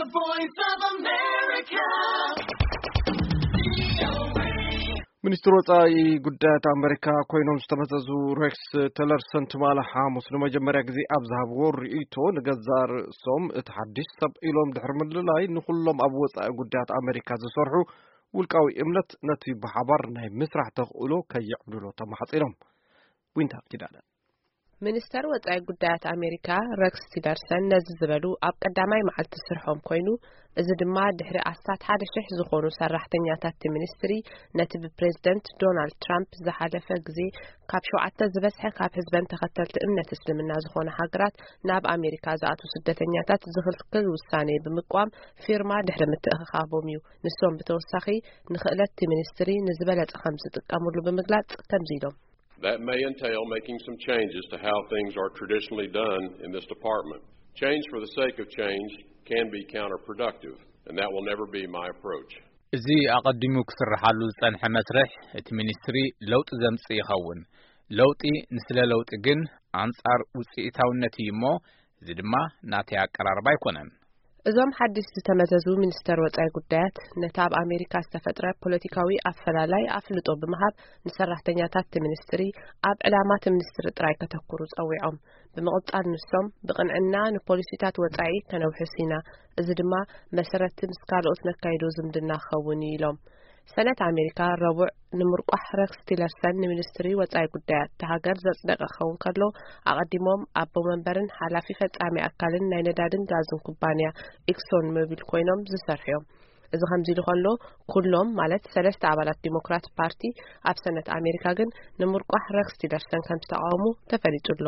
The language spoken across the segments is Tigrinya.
The Voice of America. ሚኒስትር ወጻኢ ጉዳያት ኣመሪካ ኮይኖም ዝተመዘዙ ሬክስ ቲለርሰን ትማሊ ሓሙስ ንመጀመርያ ግዜ ኣብ ዝሃብዎ ርእይቶ፣ ንገዛእ ርእሶም እቲ ሓድሽ ሰብ ኢሎም ድሕሪ ምልላይ፣ ንኹሎም ኣብ ወጻኢ ጉዳያት ኣመሪካ ዝሰርሑ ውልቃዊ እምነት ነቲ ብሓባር ናይ ምስራሕ ተኽእሎ ከየዕብልሎ ተማሕጺኖም። ዊንታ ኪዳነ። ሚኒስተር ወጻኢ ጉዳያት ኣሜሪካ ረክስ ቲለርሰን ነዚ ዝበሉ ኣብ ቀዳማይ መዓልቲ ስርሖም ኮይኑ፣ እዚ ድማ ድሕሪ ኣስታት ሓደ ሽሕ ዝኾኑ ሰራሕተኛታት እቲ ሚኒስትሪ ነቲ ብፕሬዝደንት ዶናልድ ትራምፕ ዝሓለፈ ግዜ ካብ ሸውዓተ ዝበዝሐ ካብ ህዝበን ተኸተልቲ እምነት እስልምና ዝኾነ ሃገራት ናብ ኣሜሪካ ዝኣትዉ ስደተኛታት ዝኽልክል ውሳኔ ብምቋም ፊርማ ድሕሪ ምትእኽኻቦም እዩ። ንሶም ብተወሳኺ ንኽእለት እቲ ሚኒስትሪ ንዝበለጸ ከም ዝጥቀምሉ ብምግላጽ ከምዚ ኢሎም። That may entail making some changes to how things are traditionally done in this department. Change for the sake of change can be counterproductive, and that will never be my approach. እዚ ኣቐዲሙ ክስርሓሉ ዝጸንሐ መስርሕ እቲ ሚኒስትሪ ለውጢ ዘምጽእ ይኸውን። ለውጢ ንስለ ለውጢ ግን ኣንጻር ውጽኢታውነት እዩ እሞ፣ እዚ ድማ ናተይ ኣቀራርባ ኣይኮነን። እዞም ሓድሽ ዝተመዘዙ ሚኒስተር ወጻኢ ጉዳያት ነቲ ኣብ ኣሜሪካ ዝተፈጥረ ፖለቲካዊ ኣፈላላይ ኣፍልጦ ብምሃብ፣ ንሰራሕተኛታት እቲ ሚኒስትሪ ኣብ ዕላማ እቲ ሚኒስትሪ ጥራይ ከተኩሩ ጸዊዖም። ብምቕጻል ንሶም ብቕንዕና ንፖሊሲታት ወጻኢ ከነውሕስ ኢና፣ እዚ ድማ መሰረትቲ ምስ ካልኦት ነካይዶ ዝምድና ክኸውን እዩ ኢሎም። ሰነት ኣሜሪካ ረቡዕ ንምርቋሕ ረክስ ቲለርሰን ንሚኒስትሪ ወጻኢ ጉዳያት እታ ሃገር ዘጽደቀ ክኸውን ከሎ፣ ኣቐዲሞም ኣቦ መንበርን ሓላፊ ፈጻሚ ኣካልን ናይ ነዳድን ጋዝን ኩባንያ ኤክሶን ሞቢል ኮይኖም ዝሰርሑ እዮም። እዚ ከምዚ ኢሉ ከሎ፣ ኩሎም ማለት ሰለስተ ኣባላት ዲሞክራት ፓርቲ ኣብ ሰነት ኣሜሪካ ግን ንምርቋሕ ረክስ ቲለርሰን ከም ዝተቃወሙ ተፈሊጡ ኣሎ።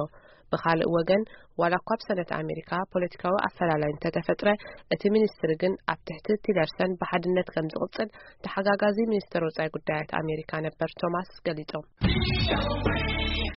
ብኻልእ ወገን፣ ዋላ እኳ ኣብ ሰነት ኣሜሪካ ፖለቲካዊ ኣፈላላይ እንተተፈጥረ፣ እቲ ሚኒስትሪ ግን ኣብ ትሕቲ ቲለርሰን ብሓድነት ከም ዝቕጽል ተሓጋጋዚ ሚኒስትር ወጻኢ ጉዳያት ኣሜሪካ ነበር ቶማስ ገሊጾም።